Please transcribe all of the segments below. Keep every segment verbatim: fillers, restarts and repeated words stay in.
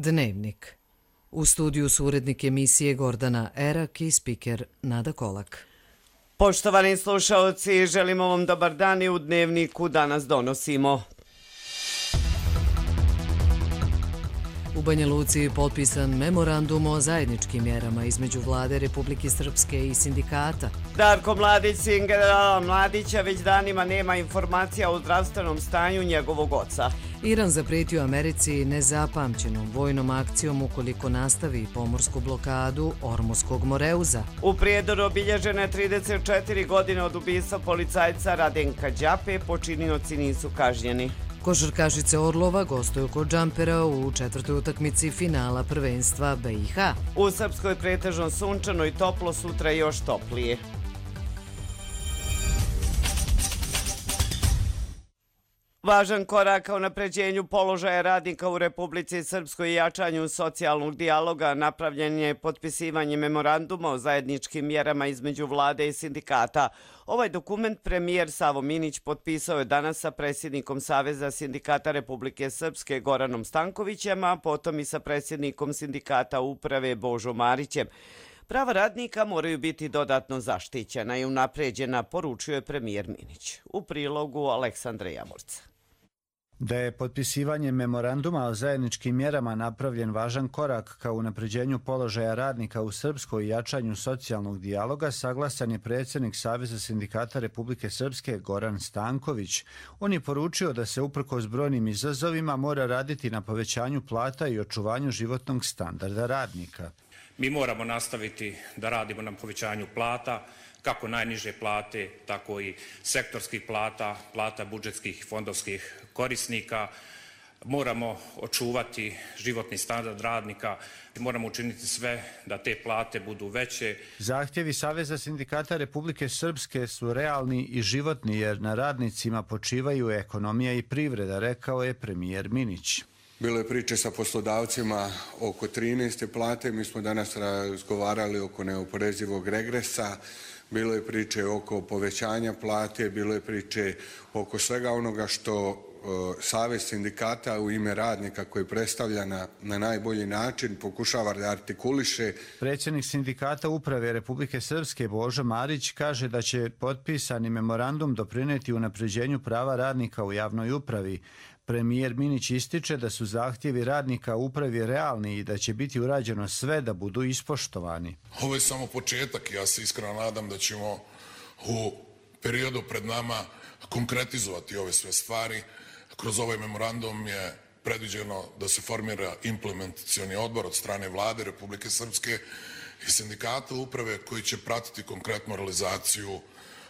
Dnevnik. U studiju su urednik emisije Gordana Erak i spiker Nada Kolak. Poštovani slušaoci, želimo vam dobar dan i u Dnevniku danas donosimo. U Banja Luci je potpisan memorandum o zajedničkim mjerama između Vlade Republike Srpske i sindikata. Darko Mladić, sin generala Mladića, već danima nema informacija o zdravstvenom stanju njegovog oca. Iran zapretio Americi nezapamćenom vojnom akcijom ukoliko nastavi pomorsku blokadu Ormuskog moreuza. U Prijedoru obilježene trideset četiri godine od ubistva policajca Radenka Đape, počinioci nisu kažnjeni. Košarkašice Orlova gostuju kod Džampera u četvrtoj utakmici finala prvenstva B i H. U Srpskoj pretežno sunčano i toplo, sutra još toplije. Važan korak ka unapređenju položaja radnika u Republici Srpskoj i jačanju socijalnog dijaloga napravljen je potpisivanje memoranduma o zajedničkim mjerama između vlade i sindikata. Ovaj dokument premijer Savo Minić potpisao je danas sa predsjednikom Saveza sindikata Republike Srpske Goranom Stankovićem, a potom i sa predsjednikom sindikata uprave Božom Marićem. Prava radnika moraju biti dodatno zaštićena i unapređena, poručio je premijer Minić. U prilogu Aleksandra Jamurca. Da je potpisivanje memoranduma o zajedničkim mjerama napravljen važan korak ka unapređenju položaja radnika u Srpskoj i jačanju socijalnog dijaloga, saglasan je predsjednik Saveza sindikata Republike Srpske Goran Stanković. On je poručio da se uprkos brojnim izazovima mora raditi na povećanju plata i očuvanju životnog standarda radnika. Mi moramo nastaviti da radimo na povećanju plata, kako najniže plate, tako i sektorskih plata, plata budžetskih i fondovskih korisnika. Moramo očuvati životni standard radnika i moramo učiniti sve da te plate budu veće. Zahtjevi Saveza sindikata Republike Srpske su realni i životni jer na radnicima počivaju ekonomija i privreda, rekao je premijer Minić. Bilo je priče sa poslodavcima oko trinaeste plate, mi smo danas razgovarali oko neoporezivog regresa, bilo je priče oko povećanja plate, bilo je priče oko svega onoga što uh, Savez sindikata u ime radnika koji predstavlja na, na najbolji način pokušava da artikuliše. Predsjednik sindikata uprave Republike Srpske Božo Marić kaže da će potpisani memorandum doprinijeti unapređenju prava radnika u javnoj upravi. Premijer Minić ističe da su zahtjevi radnika u upravi realni i da će biti urađeno sve da budu ispoštovani. Ovo je samo početak. Ja se iskreno nadam da ćemo u periodu pred nama konkretizovati ove sve stvari. Kroz ovaj memorandum je predviđeno da se formira implementacioni odbor od strane Vlade Republike Srpske i sindikata uprave koji će pratiti konkretnu realizaciju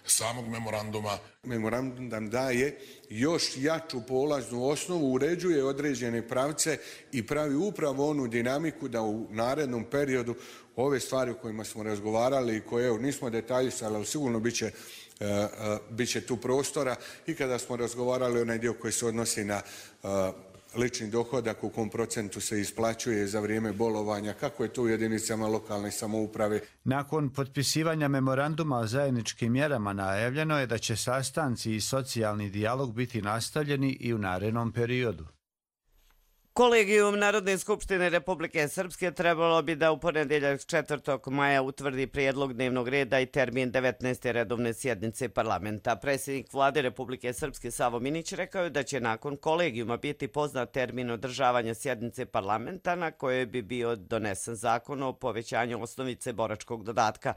samog memoranduma. Memorandum nam daje još jaču polaznu osnovu, uređuje određene pravce i pravi upravo onu dinamiku da u narednom periodu ove stvari o kojima smo razgovarali i koje evo, nismo detaljisali, ali sigurno bit će, uh, uh, bit će tu prostora i kada smo razgovarali onaj dio koji se odnosi na uh, lični dohodak, u kom procentu se isplaćuje za vrijeme bolovanja, kako je to u jedinicama lokalne samouprave. Nakon potpisivanja memoranduma o zajedničkim mjerama najavljeno je da će sastanci i socijalni dijalog biti nastavljeni i u narednom periodu. Kolegijum Narodne skupštine Republike Srpske trebalo bi da u ponedjeljak četvrtog maja utvrdi prijedlog dnevnog reda i termin devetnaeste redovne sjednice parlamenta. Predsjednik Vlade Republike Srpske Savo Minić rekao je da će nakon kolegijuma biti poznat termin održavanja sjednice parlamenta na kojoj bi bio donesen zakon o povećanju osnovice boračkog dodatka.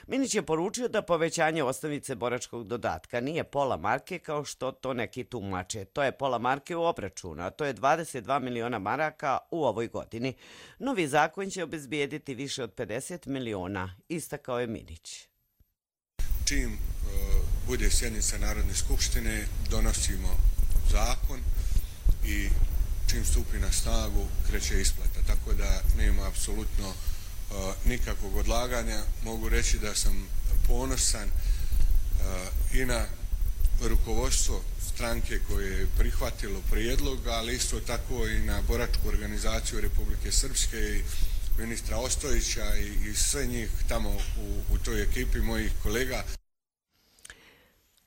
Minić je poručio da povećanje osnovice boračkog dodatka nije pola marke kao što to neki tumače. To je pola marke u obračunu, a to je dvadeset dva miliona maraka u ovoj godini. Novi zakon će obezbijediti više od pedeset miliona, istakao je Minić. Čim uh, bude sjednica Narodne skupštine, donosimo zakon i čim stupi na snagu, kreće isplata. Tako da nema apsolutno uh, nikakvog odlaganja. Mogu reći da sam ponosan uh, i na rukovodstvo stranke koje je prihvatilo prijedlog, ali isto tako i na boračku organizaciju Republike Srpske i ministra Ostojića i, i sve njih tamo u, u toj ekipi mojih kolega.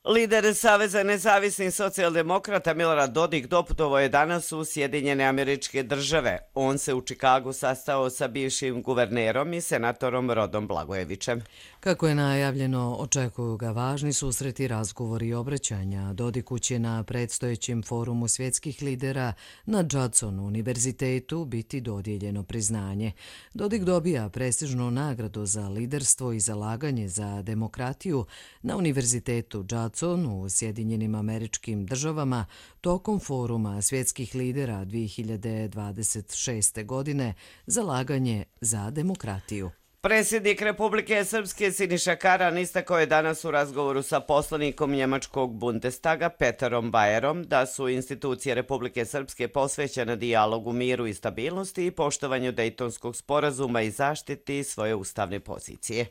Lider Saveza nezavisnih socijaldemokrata Milorad Dodik doputovao je danas u Sjedinjene Američke Države. On se u Čikagu sastao sa bivšim guvernerom i senatorom Rodom Blagojevićem. Kako je najavljeno, očekuju ga važni susreti, razgovori i obraćanja. Dodiku će na predstojećem forumu svjetskih lidera na Judson univerzitetu biti dodijeljeno priznanje. Dodik dobija prestižnu nagradu za liderstvo i zalaganje za demokratiju na univerzitetu Judson u Sjedinjenim Američkim Državama tokom foruma svjetskih lidera dvije hiljade dvadeset šeste. godine zalaganje za demokratiju. Predsjednik Republike Srpske Siniša Karan istakao je danas u razgovoru sa poslanikom njemačkog Bundestaga Peterom Bajerom da su institucije Republike Srpske posvećene dijalogu, miru i stabilnosti i poštovanju Dejtonskog sporazuma i zaštiti svoje ustavne pozicije.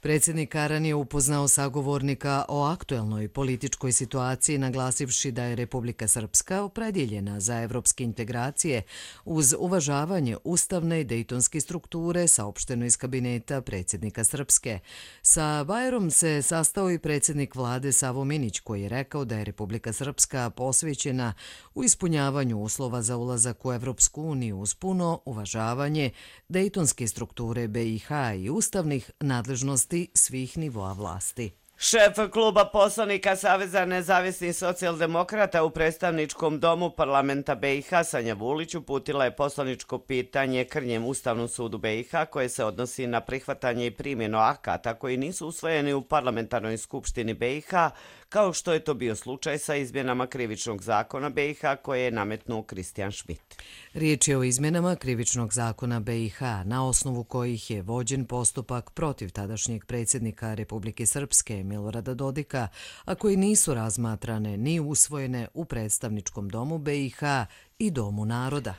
Predsjednik Karan je upoznao sagovornika o aktuelnoj političkoj situaciji, naglasivši da je Republika Srpska opredjeljena za evropske integracije uz uvažavanje ustavne i dejtonske strukture, saopšteno iz kabineta predsjednika Srpske. Sa Bajerom se sastao i predsjednik vlade Savo Minić, koji je rekao da je Republika Srpska posvećena u ispunjavanju uslova za ulazak u Evropsku uniju uz puno uvažavanje dejtonske strukture B i H i ustavnih nadležnosti svih nivoa vlasti. Šef kluba poslanika Saveza nezavisnih socijaldemokrata u predstavničkom domu parlamenta B i H Sanja Vulić uputila je poslaničko pitanje Krnjem Ustavnom sudu B i H koje se odnosi na prihvatanje i primjenu akata koji nisu usvojeni u parlamentarnoj skupštini B i H, kao što je to bio slučaj sa izmjenama krivičnog zakona B i H koje je nametnuo Kristijan Šmit. Riječ je o izmjenama krivičnog zakona B i H, na osnovu kojih je vođen postupak protiv tadašnjeg predsjednika Republike Srpske Milorada Dodika, a koji nisu razmatrane ni usvojene u predstavničkom domu B i H i Domu naroda.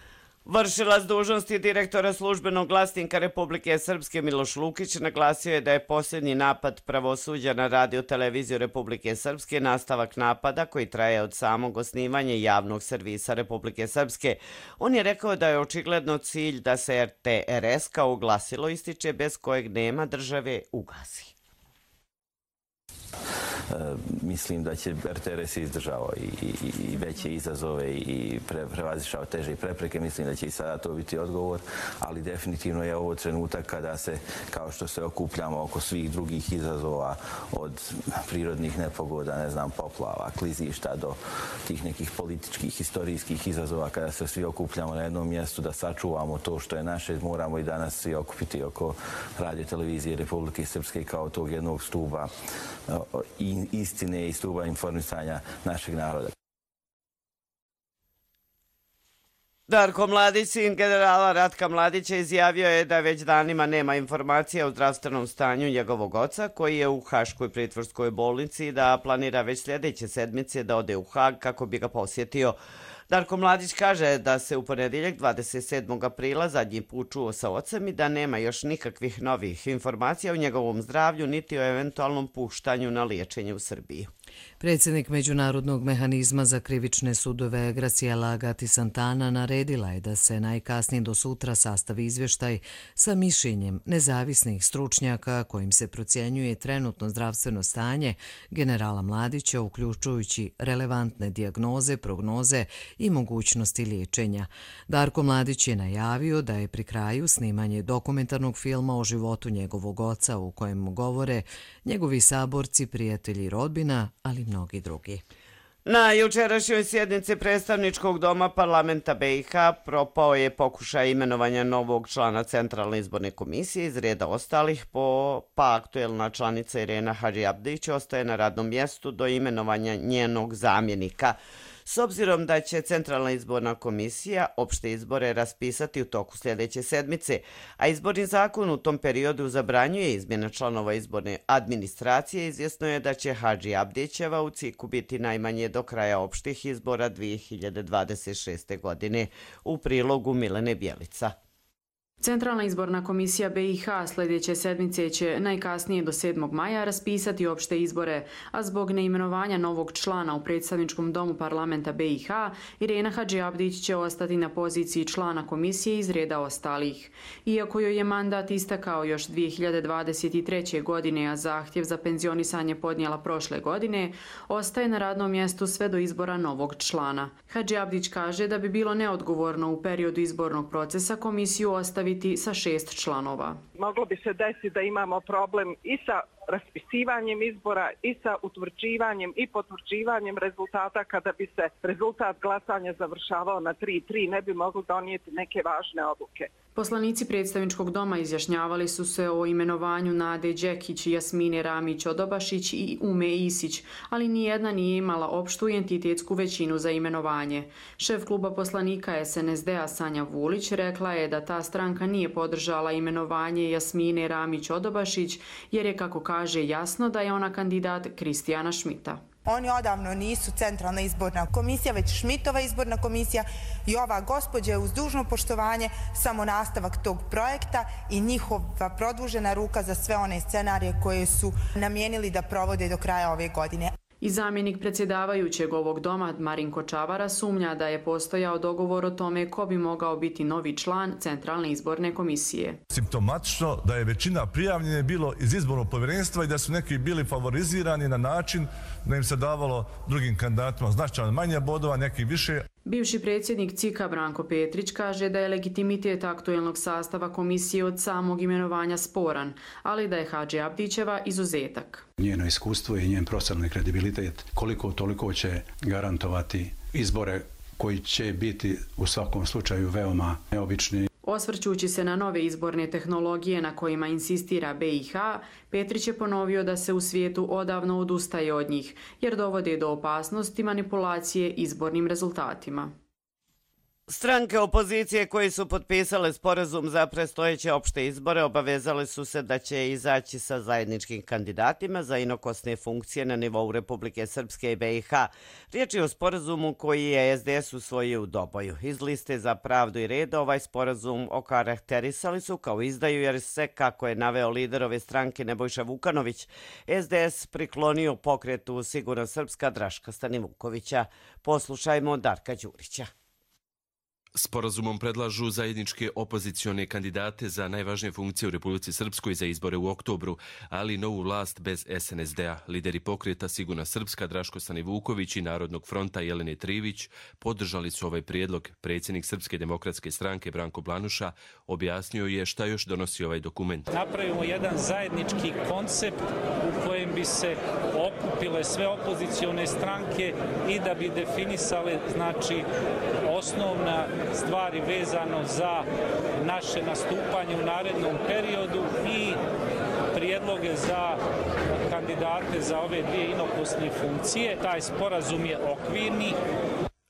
Vršilac dužnosti direktora službenog glasnika Republike Srpske Miloš Lukić naglasio je da je posljednji napad pravosuđa na radio-televiziju Republike Srpske nastavak napada koji traje od samog osnivanja javnog servisa Republike Srpske. On je rekao da je očigledno cilj da se R T R S kao glasilo ističe bez kojeg nema države ugasi. Mislim da će R T R S izdržao i, i, i veće izazove i pre, prevazišao teže prepreke. Mislim da će i sada to biti odgovor, ali definitivno je ovo trenutak kada se, kao što se okupljamo oko svih drugih izazova, od prirodnih nepogoda, ne znam, poplava, klizišta do tih nekih političkih, historijskih izazova, kada se svi okupljamo na jednom mjestu da sačuvamo to što je naše, moramo i danas svi okupiti oko radio televizije Republike Srpske kao tog jednog stuba i istine i stuba informisanja našeg naroda. Darko Mladić, sin generala Ratka Mladića, izjavio je da već danima nema informacija o zdravstvenom stanju njegovog oca, koji je u Haškoj pritvorskoj bolnici i da planira već sljedeće sedmice da ode u Hag kako bi ga posjetio. Darko Mladić kaže da se u ponedjeljak dvadeset sedmog aprila zadnji put čuo sa ocem i da nema još nikakvih novih informacija o njegovom zdravlju niti o eventualnom puštanju na liječenje u Srbiji. Predsjednik Međunarodnog mehanizma za krivične sudove Graciela Gatti Santana naredila je da se najkasnije do sutra sastavi izvještaj sa mišljenjem nezavisnih stručnjaka kojim se procjenjuje trenutno zdravstveno stanje generala Mladića, uključujući relevantne dijagnoze, prognoze i mogućnosti liječenja. Darko Mladić je najavio da je pri kraju snimanje dokumentarnog filma o životu njegovog oca u kojem govore njegovi saborci, prijatelji i rodbina, ali mnogi drugi. Na jučerašnjoj sjednici predstavničkog doma parlamenta B i H propao je pokušaj imenovanja novog člana Centralne izborne komisije iz reda ostalih, po, pa aktuelna članica Irena Hadžiabdić ostaje na radnom mjestu do imenovanja njenog zamjenika. S obzirom da će Centralna izborna komisija opšte izbore raspisati u toku sljedeće sedmice, a izborni zakon u tom periodu zabranjuje izmjena članova izborne administracije, izvjesno je da će Hadžiabdićeva u ciku biti najmanje do kraja opštih izbora dvije hiljade dvadeset šeste. godine, u prilogu Milene Bjelica. Centralna izborna komisija B i H sljedeće sedmice će najkasnije do sedmog maja raspisati opšte izbore, a zbog neimenovanja novog člana u predstavničkom domu parlamenta B i H, Irena Hadžiabdić će ostati na poziciji člana komisije iz reda ostalih. Iako joj je mandat istakao još dvije hiljade dvadeset treće. godine, a zahtjev za penzionisanje podnijela prošle godine, ostaje na radnom mjestu sve do izbora novog člana. Hadžiabdić kaže da bi bilo neodgovorno u periodu izbornog procesa komisiju ostaviti sa šest članova. Moglo bi se desiti da imamo problem i sa raspisivanjem izbora i sa utvrđivanjem i potvrđivanjem rezultata. Kada bi se rezultat glasanja završavao na tri tri, ne bi mogli donijeti neke važne odluke. Poslanici predstavničkog doma izjašnjavali su se o imenovanju Nade Đekić, Jasmine Ramić-Odobašić i Ume Isić, ali nijedna nije imala opštu i entitetsku većinu za imenovanje. Šef kluba poslanika S N S D-a Sanja Vulić rekla je da ta stranka nije podržala imenovanje Jasmine Ramić-Odobašić jer je, kako kaže, jasno da je ona kandidat Kristijana Šmita. Oni odavno nisu centralna izborna komisija, već Šmitova izborna komisija i ova gospođa je uz dužno poštovanje samo nastavak tog projekta i njihova produžena ruka za sve one scenarije koje su namijenili da provode do kraja ove godine. I zamjenik predsjedavajućeg ovog doma, Marinko Čavara, sumnja da je postojao dogovor o tome ko bi mogao biti novi član Centralne izborne komisije. Simptomatično da je većina prijavljene bilo iz izbornog povjerenstva i da su neki bili favorizirani na način da im se davalo drugim kandidatima značajno manje bodova, neki više. Bivši predsjednik C I K-a Branko Petrić kaže da je legitimitet aktuelnog sastava komisije od samog imenovanja sporan, ali da je Hadžiabdićeva izuzetak. Njeno iskustvo i njen profesionalni kredibilitet koliko toliko će garantovati izbore koji će biti u svakom slučaju veoma neobični. Osvrćući se na nove izborne tehnologije na kojima insistira B i H, Petrić je ponovio da se u svijetu odavno odustaje od njih, jer dovode do opasnosti manipulacije izbornim rezultatima. Stranke opozicije koji su potpisale sporazum za predstojeće opšte izbore obavezale su se da će izaći sa zajedničkim kandidatima za inokosne funkcije na nivou Republike Srpske i B i H. Riječ je o sporazumu koji je S D S usvojio u Doboju. Iz liste za pravdu i red ovaj sporazum okarakterisali su kao izdaju jer se, kako je naveo lider ove stranke Nebojša Vukanović, S D S priklonio pokretu Sigurna Srpska Draška Stanivukovića. Poslušajmo Darka Đurića. Sporazumom predlažu zajedničke opozicione kandidate za najvažnije funkcije u Republici Srpskoj za izbore u oktobru, ali novu vlast bez S N S D-a. Lideri pokreta Sigurna Srpska Draško Stanivuković i Narodnog fronta Jelene Trivić podržali su ovaj prijedlog. Predsjednik Srpske demokratske stranke Branko Blanuša objasnio je šta još donosi ovaj dokument. Napravimo jedan zajednički koncept u kojem bi se okupile sve opozicione stranke i da bi definisale, znači, osnovna stvari vezano za naše nastupanje u narednom periodu i prijedloge za kandidate za ove dvije inokosne funkcije. Taj sporazum je okvirni.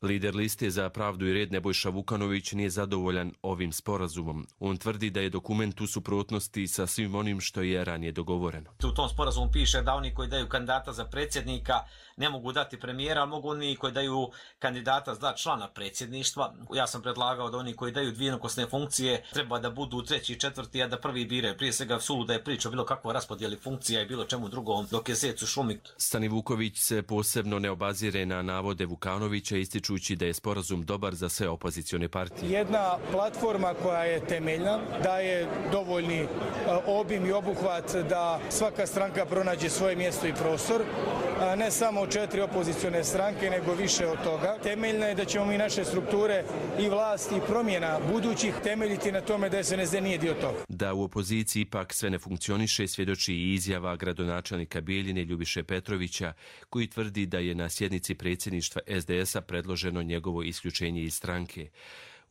Lider liste za pravdu i red Nebojša Vukanović nije zadovoljan ovim sporazumom. On tvrdi da je dokument u suprotnosti sa svim onim što je ranije dogovoreno. U tom sporazumu piše da oni koji daju kandidata za predsjednika ne mogu dati premijera, ali mogu oni koji daju kandidata za člana predsjedništva. Ja sam predlagao da oni koji daju dvije inokosne funkcije treba da budu treći i četvrti, a da prvi biraju. Prije svega suluda je priča o bilo kakvoj raspodjeli funkcija i bilo čemu drugom, dok je zec u šumi. Stanivuković se posebno ne obazire na navode Vukanovića, ističući da je sporazum dobar za sve opozicione partije. Jedna platforma koja je temeljna, da je dovoljni obim i obuhvat da svaka stranka pronađe svoje mjesto i prostor, ne samo četiri opozicione stranke, nego više od toga. Temeljna je da ćemo mi naše strukture i vlast i promjena budućih temeljiti na tome da S N S D nije dio toga. Da u opoziciji ipak sve ne funkcioniše, svjedoči i izjava gradonačelnika Bijeljine Ljubiše Petrovića, koji tvrdi da je na sjednici predsjedništva S D S-a predloženo njegovo isključenje iz stranke.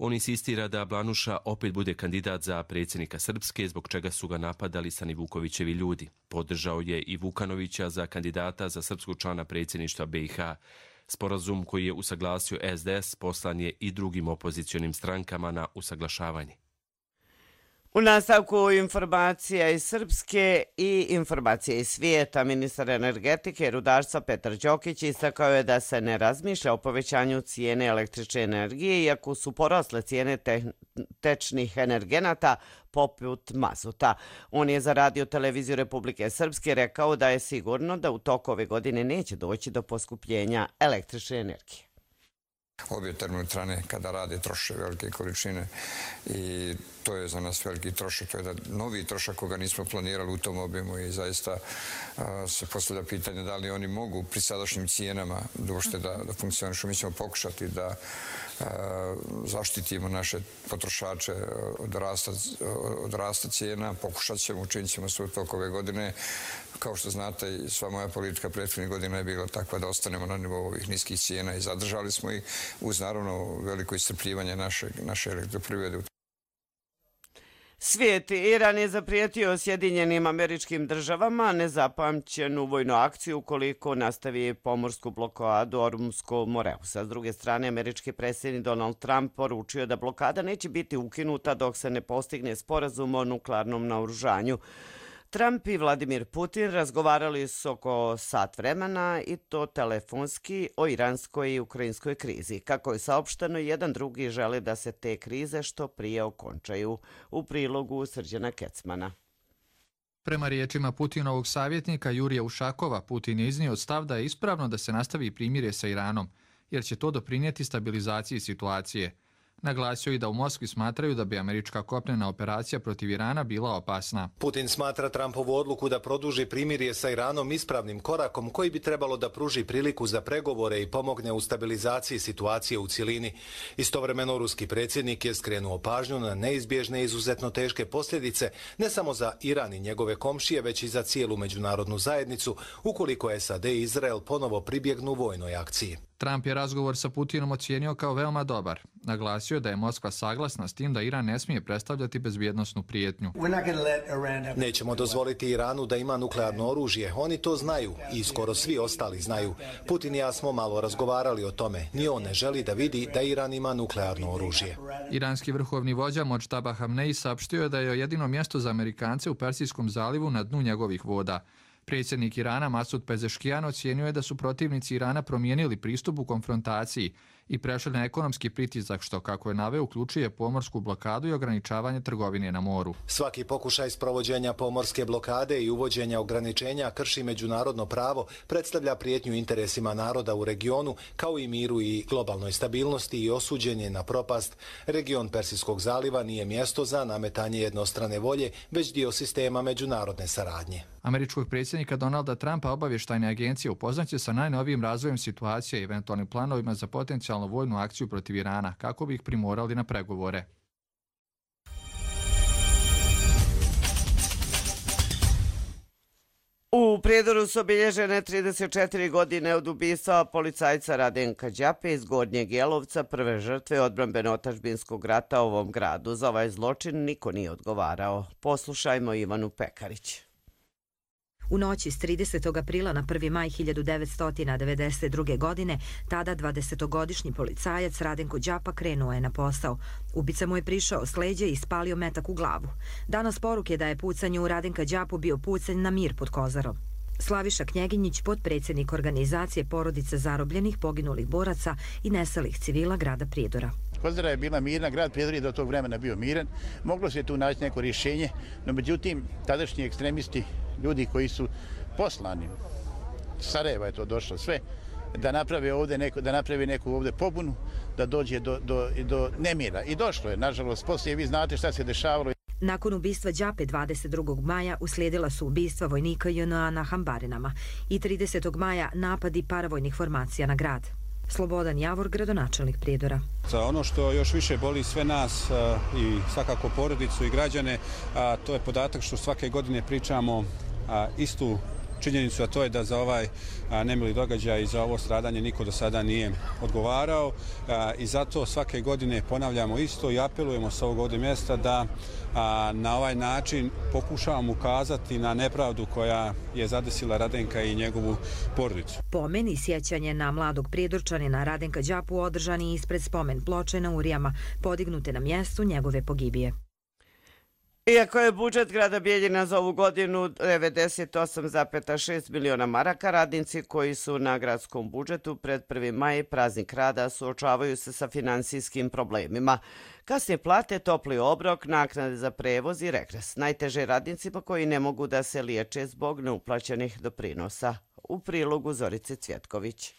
On insistira da Blanuša opet bude kandidat za predsjednika Srpske, zbog čega su ga napadali Stanivukovićevi ljudi. Podržao je i Vukanovića za kandidata za srpskog člana predsjedništva B i H. Sporazum koji je usaglasio S D S poslan je i drugim opozicionim strankama na usaglašavanje. U nastavku informacija iz Srpske i informacije iz svijeta, ministar energetike i rudarstva Petar Đokić istakao je da se ne razmišlja o povećanju cijene električne energije, iako su porasle cijene te tečnih energenata poput mazuta. On je za Radio televiziju Republike Srpske rekao da je sigurno da u toku ove godine neće doći do poskupljenja električne energije. Obje termoelektrane kada rade troše velike količine i to je za nas veliki trošak. To je da novi trošak koga nismo planirali u tom objemu i zaista a, se postavlja pitanje da li oni mogu pri sadašnjim cijenama došte da, da funkcionišu. Mi ćemo pokušati da a, zaštitimo naše potrošače od rasta, od rasta cijena. Pokušat ćemo, učinit ćemo sve u toku ove godine. Kao što znate, sva moja politika prethodnih godina je bila takva da ostanemo na nivou ovih niskih cijena i zadržali smo ih uz naravno veliko iscrpljivanje naše, naše elektroprivrede. Svijet Iran je zaprijetio Sjedinjenim Američkim Državama nezapamćenu vojnu akciju ukoliko nastavi pomorsku blokadu Ormuzskog Moreusa. S druge strane, američki predsjednik Donald Trump poručio da blokada neće biti ukinuta dok se ne postigne sporazum o nuklearnom naoružanju. Trump i Vladimir Putin razgovarali su oko sat vremena i to telefonski o iranskoj i ukrajinskoj krizi. Kako je saopšteno, jedan drugi žele da se te krize što prije okončaju. U prilogu Srđana Kecmana. Prema riječima Putinovog savjetnika Jurija Ušakova, Putin je iznio stav da je ispravno da se nastavi primirje sa Iranom, jer će to doprinijeti stabilizaciji situacije. Naglasio i da u Moskvi smatraju da bi američka kopnena operacija protiv Irana bila opasna. Putin smatra Trumpovu odluku da produži primirje sa Iranom ispravnim korakom koji bi trebalo da pruži priliku za pregovore i pomogne u stabilizaciji situacije u cjelini. Istovremeno, ruski predsjednik je skrenuo pažnju na neizbježne izuzetno teške posljedice ne samo za Iran i njegove komšije, već i za cijelu međunarodnu zajednicu ukoliko S A D i Izrael ponovo pribjegnu vojnoj akciji. Trump je razgovor sa Putinom ocijenio kao veoma dobar. Naglasio je da je Moskva saglasna s tim da Iran ne smije predstavljati bezbjednosnu prijetnju. Nećemo dozvoliti Iranu da ima nuklearno oružje. Oni to znaju i skoro svi ostali znaju. Putin i ja smo malo razgovarali o tome. Ni on ne želi da vidi da Iran ima nuklearno oružje. Iranski vrhovni vođa Modžtaba Hamneji saopštio je da je jedino mjesto za Amerikance u Persijskom zalivu na dnu njegovih voda. Predsjednik Irana Masud Pezeškijan ocijenio je da su protivnici Irana promijenili pristup u konfrontaciji i prešli na ekonomski pritisak, što, kako je naveo, uključuje pomorsku blokadu i ograničavanje trgovine na moru. Svaki pokušaj sprovođenja pomorske blokade i uvođenja ograničenja krši međunarodno pravo, predstavlja prijetnju interesima naroda u regionu, kao i miru i globalnoj stabilnosti i osuđen je na propast. Region Persijskog zaliva nije mjesto za nametanje jednostrane volje, već dio sistema međunarodne saradnje. Američkog predsjednika Donalda Trumpa obavještajne agencije upoznaće sa najnovijim razvojem situacije i eventualnim planovima za potencijalnu vojnu akciju protiv Irana, kako bi ih primorali na pregovore. U Prijedoru su obilježene trideset četiri godine od ubistva policajca Radenka Đape iz Gornjeg Jelovca, prve žrtve odbrambeno-otadžbinskog rata u ovom gradu. Za ovaj zločin niko nije odgovarao. Poslušajmo Ivanu Pekarić. U noći s tridesetog aprila na prvi maj hiljadu devetsto devedeset druge. godine, tada dvadesetogodišnji policajac Radenko Đapa krenuo je na posao. Ubica mu je prišao s leđa i spalio metak u glavu. Danas poruke da je pucanje u Radenka Đapu bio pucanj na mir pod Kozarom. Slaviša Knjeginjić, potpredsjednik organizacije porodice zarobljenih, poginulih boraca i nesalih civila grada Prijedora. Kozara je bila mirna, grad Prijedor je do tog vremena bio miran. Moglo se tu naći neko rješenje, no međutim, tadašnji ekstremisti, ljudi koji su poslani, Sarajeva je to došlo sve, da naprave ovdje neko, da naprave neku ovdje pobunu, da dođe do, do, do nemira. I došlo je, nažalost, poslije vi znate šta se dešavalo. Nakon ubistva Đape dvadeset drugog maja uslijedila su ubistva vojnika J N A na Hambarinama i tridesetog maja napadi paravojnih formacija na grad. Slobodan Javor, gradonačelnik Prijedora. Ono što još više boli sve nas i svakako porodicu i građane, to je podatak što svake godine pričamo istu činjenicu, a to je da za ovaj nemili događaj i za ovo stradanje niko do sada nije odgovarao i zato svake godine ponavljamo isto i apelujemo sa ovog ovdje mjesta da na ovaj način pokušavamo ukazati na nepravdu koja je zadesila Radenka i njegovu porodicu. Pomen i sjećanje na mladog prijedorčanina Radenka Đapu održani ispred spomen ploče na Urijama, podignute na mjestu njegove pogibije. Iako je budžet grada Bijeljina za ovu godinu devedeset osam zarez šest miliona maraka, radnici koji su na gradskom budžetu pred prvi maj, praznik rada, suočavaju se sa finansijskim problemima. Kasnije plate, topli obrok, naknade za prevoz i regres. Najteže radnicima koji ne mogu da se liječe zbog neuplaćenih doprinosa. U prilogu Zorice Cvjetković.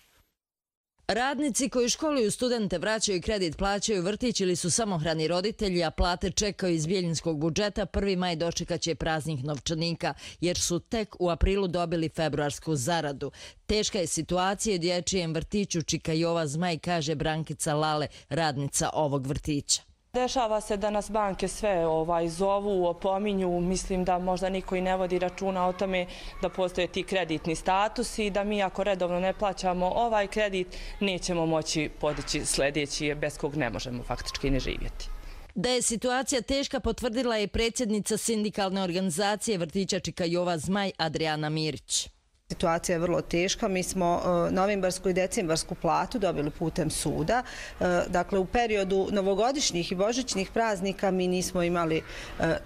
Radnici koji školuju studente, vraćaju kredit, plaćaju vrtić ili su samohrani roditelji, a plate čekaju iz bijeljinskog budžeta, prvi maj dočekaće praznih novčanika, jer su tek u aprilu dobili februarsku zaradu. Teška je situacija u dječjem vrtiću Čika Jova Zmaj, kaže Brankica Lale, radnica ovog vrtića. Dešava se da nas banke sve ovaj, zovu, opominju, mislim da možda niko i ne vodi računa o tome da postoje ti kreditni statusi i da mi ako redovno ne plaćamo ovaj kredit nećemo moći podići sljedeći bez kog ne možemo faktički ne živjeti. Da je situacija teška potvrdila je predsjednica sindikalne organizacije vrtića Čika Jova Zmaj Adriana Mirić. Situacija je vrlo teška. Mi smo novembarsku i decembarsku platu dobili putem suda. Dakle, u periodu novogodišnjih i božićnih praznika mi nismo imali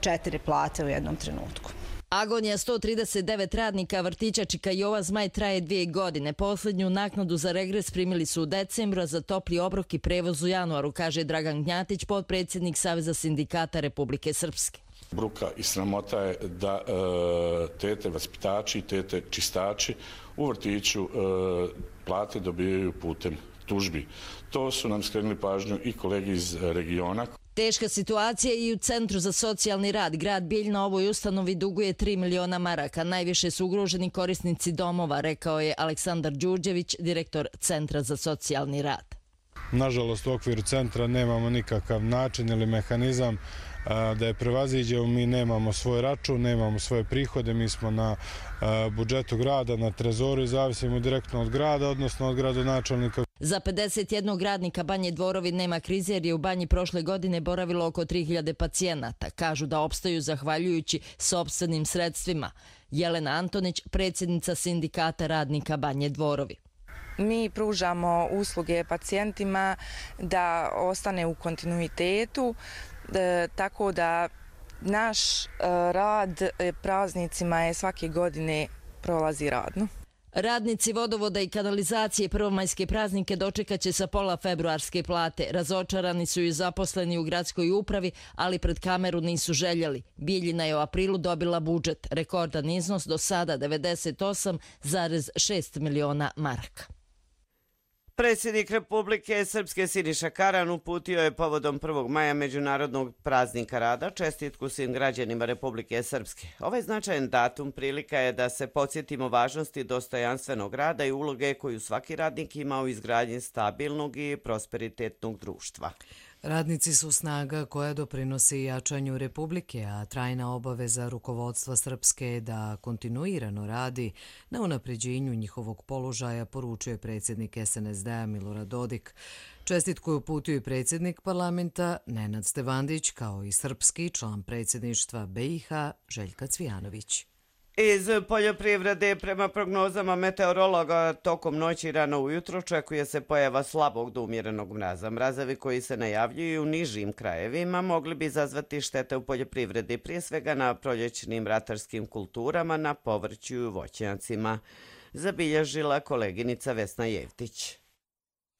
četiri plate u jednom trenutku. Agonija sto trideset devet radnika vrtića Čika Jova Zmaj traje dvije godine. Posljednju naknadu za regres primili su u decembru, a za topli obrok i prevoz u januaru, kaže Dragan Gnjatić, potpredsjednik Saveza sindikata Republike Srpske. Bruka i sramota je da e, tete vaspitači i tete čistači u vrtiću e, plate dobijaju putem tužbi. To su nam skrenuli pažnju i kolegi iz regiona. Teška situacija i u Centru za socijalni rad. Grad Bijeljina ovoj ustanovi duguje tri miliona maraka. Najviše su ugroženi korisnici domova, rekao je Aleksandar Đurđević, direktor Centra za socijalni rad. Nažalost, u okviru centra nemamo nikakav način ili mehanizam da je prevaziđemo. Mi nemamo svoj račun, nemamo svoje prihode, mi smo na budžetu grada, na trezoru i zavisimo direktno od grada, odnosno od gradonačelnika. Za pedeset jednog radnika Banje Dvorovi nema krize jer je u banji prošle godine boravilo oko tri hiljade pacijenata. Kažu da opstaju zahvaljujući sopstvenim sredstvima. Jelena Antonić, predsjednica sindikata radnika Banje Dvorovi. Mi pružamo usluge pacijentima da ostane u kontinuitetu, tako da naš rad praznicima je svake godine prolazi radno. Radnici vodovoda i kanalizacije prvomajske praznike dočekaće sa pola februarske plate. Razočarani su i zaposleni u gradskoj upravi, ali pred kameru nisu željeli. Bijeljina je u aprilu dobila budžet. Rekordan iznos do sada devedeset osam zarez šest miliona maraka. Predsjednik Republike Srpske Siniša Karan uputio je povodom prvog maja Međunarodnog praznika rada čestitku svim građanima Republike Srpske. Ovaj značajan datum prilika je da se podsjetimo važnosti dostojanstvenog rada i uloge koju svaki radnik ima u izgradnji stabilnog i prosperitetnog društva. Radnici su snaga koja doprinosi jačanju Republike, a trajna obaveza rukovodstva Srpske je da kontinuirano radi na unapređenju njihovog položaja, poručuje predsjednik S N S D-a Milorad Dodik. Čestitku je uputio i predsjednik parlamenta Nenad Stevandić, kao i srpski član predsjedništva B i H Željka Cvijanović. Iz poljoprivrede, prema prognozama meteorologa, tokom noći i rano ujutro očekuje se pojava slabog do umjerenog mraza. Mrazovi koji se najavljuju u nižim krajevima mogli bi izazvati štete u poljoprivredi, prije svega na proljećnim ratarskim kulturama, na povrću i voćnjacima, zabilježila koleginica Vesna Jevtić.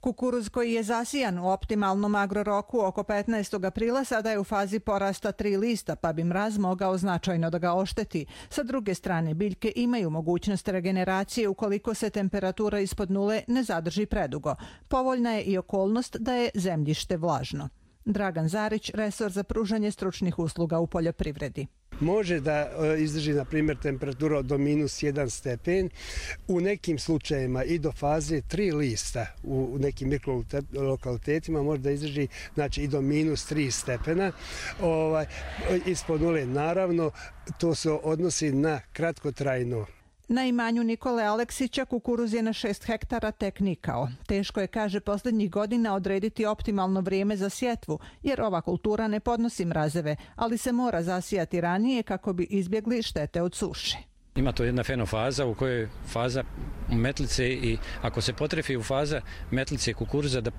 Kukuruz koji je zasijan u optimalnom agroroku oko petnaestog aprila sada je u fazi porasta tri lista, pa bi mraz mogao značajno da ga ošteti. Sa druge strane, biljke imaju mogućnost regeneracije ukoliko se temperatura ispod nule ne zadrži predugo. Povoljna je i okolnost da je zemljište vlažno. Dragan Zarić, resor za pružanje stručnih usluga u poljoprivredi. Može da izdrži, na primjer, temperatura do minus jedan stepen, u nekim slučajevima i do faze tri lista u nekim mikrolokalitetima može da izdrži, znači, i do minus tri stepena. Ovaj, ispod nule, naravno, to se odnosi na kratkotrajno. Na imanju Nikole Aleksića kukuruz je na šest hektara tek nikao. Teško je, kaže, posljednjih godina odrediti optimalno vrijeme za sjetvu, jer ova kultura ne podnosi mrazeve, ali se mora zasijati ranije kako bi izbjegli štete od suše. Ima to jedna fenofaza u kojoj faza metlice i ako se potrefi u faza metlice kukuruza da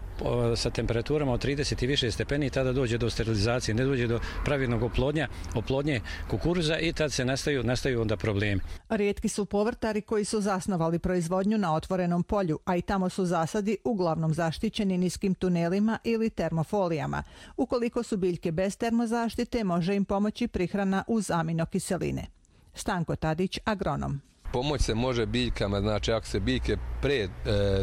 sa temperaturama od trideset i više stepeni, tada dođe do sterilizacije, ne dođe do pravilnog oplodnja, oplodnje kukuruza i tad se nastaju, nastaju onda problemi. Rijetki su povrtari koji su zasnovali proizvodnju na otvorenom polju, a i tamo su zasadi uglavnom zaštićeni niskim tunelima ili termofolijama. Ukoliko su biljke bez termozaštite, može im pomoći prihrana uz aminokiseline. Stanko Tadić, agronom. Pomoć se može biljkama, znači ako se biljke pre e,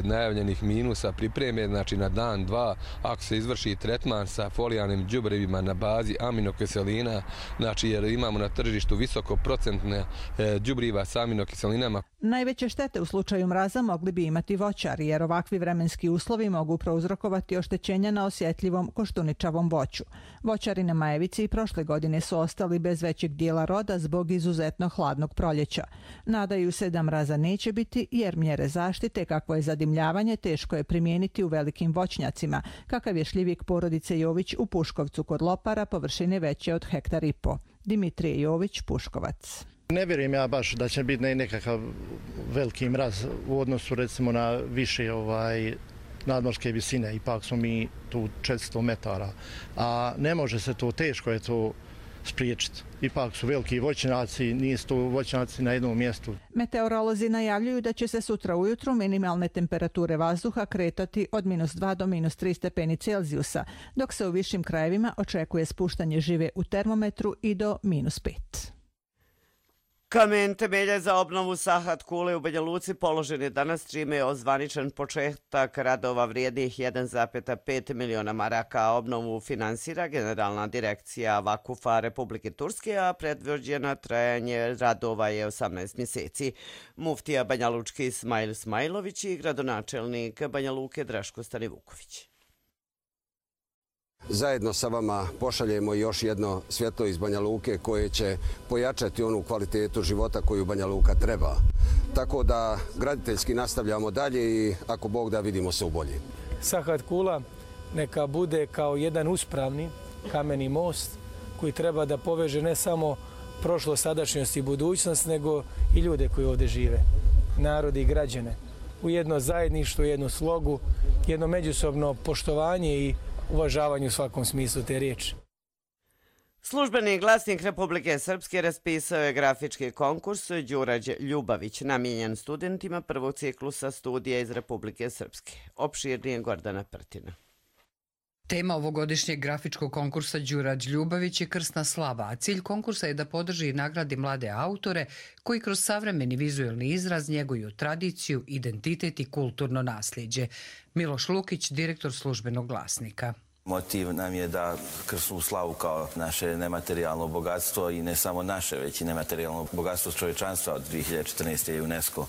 najavljenih minusa pripreme, znači na dan, dva, ako se izvrši tretman sa folijarnim đubrevima na bazi aminokiselina, znači jer imamo na tržištu visokoprocentne e, đubriva sa aminokiselinama. Najveće štete u slučaju mraza mogli bi imati voćari, jer ovakvi vremenski uslovi mogu prouzrokovati oštećenja na osjetljivom koštuničavom voću. Voćari na Majevici i prošle godine su ostali bez većeg dijela roda zbog izuzetno hladnog proljeća. Nadaju se da mraza neće biti, jer mjere zaštite, kakvo je zadimljavanje, teško je primijeniti u velikim voćnjacima, kakav je šljivik porodice Jović u Puškovcu kod Lopara, površine veće od hektar i po. Dimitrije Jović, Puškovac. Ne vjerujem ja baš da će biti nekakav veliki mraz u odnosu recimo na više ovaj, nadmorske visine. Ipak smo mi tu četiristo metara, a ne može se to, teško je to spriječiti. Ipak su veliki voćnjaci, nisu to voćnjaci na jednom mjestu. Meteorolozi najavljuju da će se sutra ujutru minimalne temperature vazduha kretati od minus dva do minus tri stepeni Celzijusa, dok se u višim krajevima očekuje spuštanje žive u termometru i do minus pet. Kamen temelja za obnovu Sahat kule u Banja Luci položen je danas, čime je ozvaničen početak radova vrijednih jedan zarez pet miliona maraka, a obnovu finansira Generalna direkcija Vakufa Republike Turske, a predviđeno trajanje radova je osamnaest mjeseci. Muftija Banja Lučki Ismail Smajlović i gradonačelnik Banja Luke Draško Stanivuković. Zajedno sa vama pošaljemo još jedno svjetlo iz Banja Luke koje će pojačati onu kvalitetu života koju Banja Luka treba. Tako da graditeljski nastavljamo dalje i ako Bog da, vidimo se u bolji. Sahat kula neka bude kao jedan uspravni kameni most koji treba da poveže ne samo prošlo, sadašnjost i budućnost, nego i ljude koji ovdje žive, narod i građane, u jedno zajedništvo, jednu slogu, jedno međusobno poštovanje i uvažavanju u svakom smislu te riječi. Službeni glasnik Republike Srpske raspisao je grafički konkurs Đurađ Ljubavić, namijenjen studentima prvog ciklusa studija iz Republike Srpske. Opširnije Gordana Prtina. Tema ovogodišnjeg grafičkog konkursa Đurađ Ljubavić je krsna slava, a cilj konkursa je da podrži i nagradi mlade autore koji kroz savremeni vizuelni izraz njeguju tradiciju, identitet i kulturno nasljeđe. Miloš Lukić, direktor službenog glasnika. Motiv nam je da krsnu slavu kao naše nematerijalno bogatstvo i ne samo naše, već i nematerijalno bogatstvo čovječanstva. Od dvije hiljade četrnaeste. je UNESCO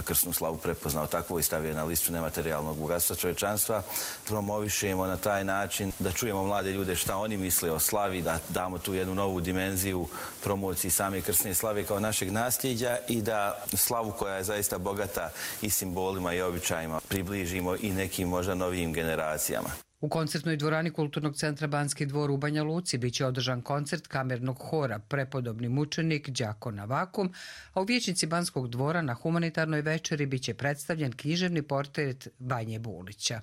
krsnu slavu prepoznao takvu i stavio na listu nematerijalnog bogatstva čovječanstva. Promovišemo na taj način da čujemo mlade ljude šta oni misle o slavi, da damo tu jednu novu dimenziju promociji same krsne slave kao našeg nasljeđa i da slavu koja je zaista bogata i simbolima i običajima približimo i nekim možda novijim generacijama. U koncertnoj dvorani Kulturnog centra Banski dvor u Banja Luci biće održan koncert kamernog hora Prepodobni mučenik Đako na vakum, a u vijećnici Banskog dvora na humanitarnoj večeri biće predstavljen književni portret Banje Bulića.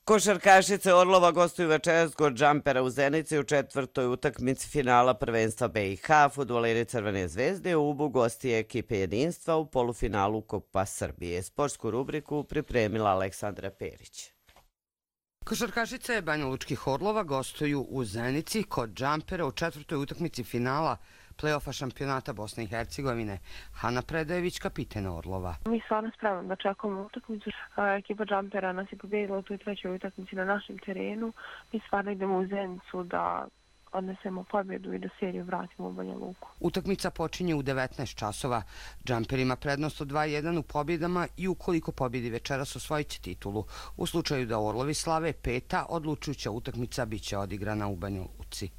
Košarkašice Orlova gostuju večeras kod Džampera u Zenici u četvrtoj utakmici finala prvenstva B i H. Fudbaleri Crvene zvezde u Ubu gosti ekipe Jedinstva u polufinalu Kupa Srbije. Sportsku rubriku pripremila Aleksandra Perić. Košarkašice Banja Lučkih Orlova gostuju u Zenici kod Džampera u četvrtoj utakmici finala play-offa šampionata Bosne i Hercegovine. Hana Predajević, kapitena Orlova. Mi stvarno spremno da čekamo utakmicu. Ekipa Džampera nas je pobjedila u toj trećoj utakmici na našem terenu. Mi stvarno idemo u Zenicu da odnesemo pobjedu i da seriju vratimo u Banja Luku. Utakmica počinje u devetnaest časova. Džamper ima prednost od dva jedan u pobjedama i ukoliko pobjedi večeras osvojit će titulu. U slučaju da Orlovi slave peta, odlučujuća utakmica biće odigrana u Banja Luci.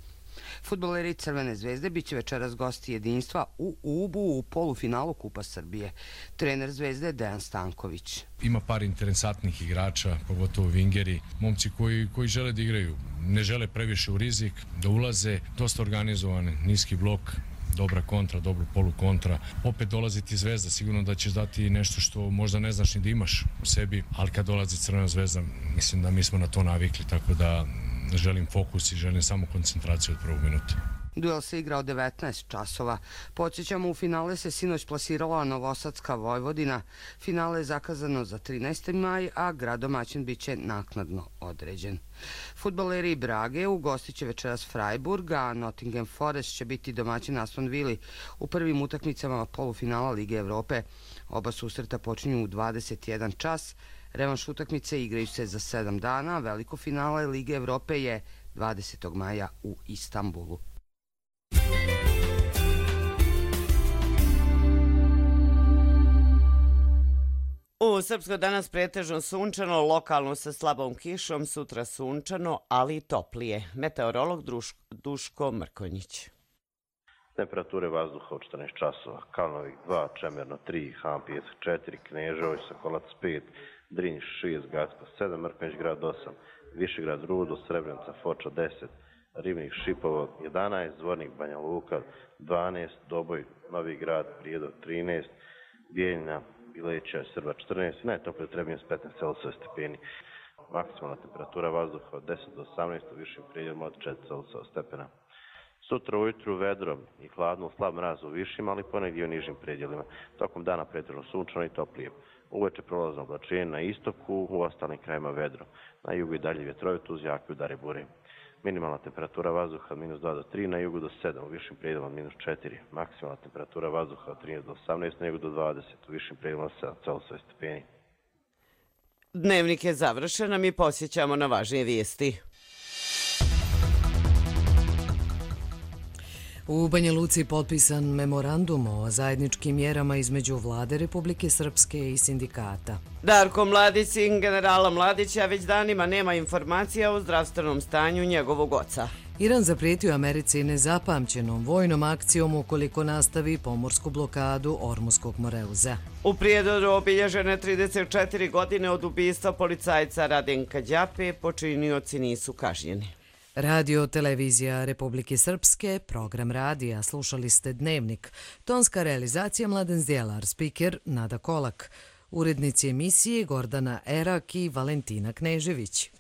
Fudbaleri Crvene zvezde biće večeras gosti Jedinstva u Ubu u polufinalu Kupa Srbije. Trener Zvezde je Dejan Stanković. Ima par interesantnih igrača, pogotovo vingeri, momci koji, koji žele da igraju. ne žele previše u rizik, da ulaze dosta organizovan, niski blok, dobra kontra, dobro polukontra. Opet dolazi ti Zvezda, sigurno da ćeš dati nešto što možda ne znaš ni da imaš u sebi, ali kad dolazi Crvena Zvezda, mislim da mi smo na to navikli, tako da želim fokus i želim samo koncentraciju od prvog minuta. Duel se igra od devetnaest časova. Podsjećamo, u finale se sinoć plasirala Novosadska Vojvodina. Finale je zakazano za trinaesti maj, a grad domaćin biće naknadno određen. Fudbaleri Brage ugostit će večeras Freiburg, a Nottingham Forest će biti domaćin Aston Villa u prvim utakmicama polufinala Lige Evrope. Oba susreta počinju u dvadeset jedan čas. Revanš utakmice igraju se za sedam dana, a veliko finale Lige Evrope je dvadesetog maja u Istanbulu. U Srpskoj danas pretežno sunčano, lokalno sa slabom kišom, sutra sunčano, ali i toplije. Meteorolog Duško Mrkonjić. Temperature vazduha od četrnaest časova. Kalnovik dva, Čemerno tri, Hampijesk četiri, Kneževo, Sokolac pet, Drinj šest, Gacko sedam, Mrkonjić grad osam, Višegrad Rudo, Srebrenica Foča deset, Ribnik Šipovo jedanaest, Zvornik Banja Luka dvanaest, Doboj Novi Grad Prijedor trinaest, Bijeljina Bileća Srba četrnaest, najtoplije u Trebinju s petnaest Celzijusovih stepeni. Maksimalna temperatura vazduha od deset do osamnaest, u višim predjelima od četiri Celzijusova stepena. Sutra ujutru vedro i hladno, slab mraz u višim, ali ponegdje u nižim predjelima. Tokom dana pretežno sunčano i toplije. Uveče prolazno oblačenje na istoku, u ostalim krajima vedro. Na jugu i dalje vjetrovit uz jake udare bure. Minimalna temperatura vazduha od minus dva do tri, na jugu do sedam, u višim predjelima od minus četiri. Maksimalna temperatura vazduha od trinaest do osamnaest, na jugu do dvadeset, u višim predjelima od sedam Celzijusovih stepeni. Dnevnik je završen, a mi posjećamo na važnije vijesti. U Banja Luci potpisan memorandum o zajedničkim mjerama između Vlade Republike Srpske i sindikata. Darko Mladić, sin generala Mladića, već danima nema informacija o zdravstvenom stanju njegovog oca. Iran zaprijetio Americi nezapamćenom vojnom akcijom ukoliko nastavi pomorsku blokadu Ormuskog Moreuza. U Prijedoru obilježene trideset četiri godine od ubistva policajca Radenka Đape, počinioci nisu kažnjeni. Radio Televizija Republike Srpske, program radija, slušali ste Dnevnik. Tonska realizacija Mladen Zdjelar, spiker Nada Kolak. Urednici emisije Gordana Erak i Valentina Knežević.